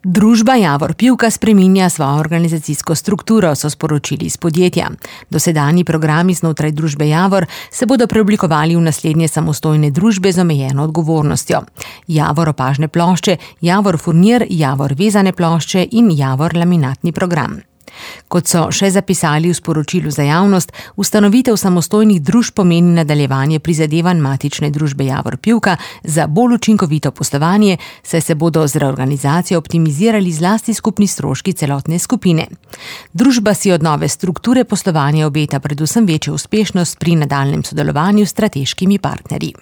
Družba Javor Pivka spreminja svojo organizacijsko strukturo, so sporočili iz podjetja. Dosedanji programi znotraj družbe Javor se bodo preoblikovali v naslednje samostojne družbe z omejeno odgovornostjo. Javor opažne plošče, Javor furnir, Javor vezane plošče in Javor laminatni program. Kot so še zapisali v sporočilu za javnost, ustanovitev samostojnih družb pomeni nadaljevanje prizadevanj matične družbe Javor Pivka za bolj učinkovito poslovanje, saj se bodo z reorganizacijo optimizirali zlasti skupni stroški celotne skupine. Družba si od nove strukture poslovanja obeta predvsem večjo uspešnost pri nadaljnjem sodelovanju s strateškimi partnerji.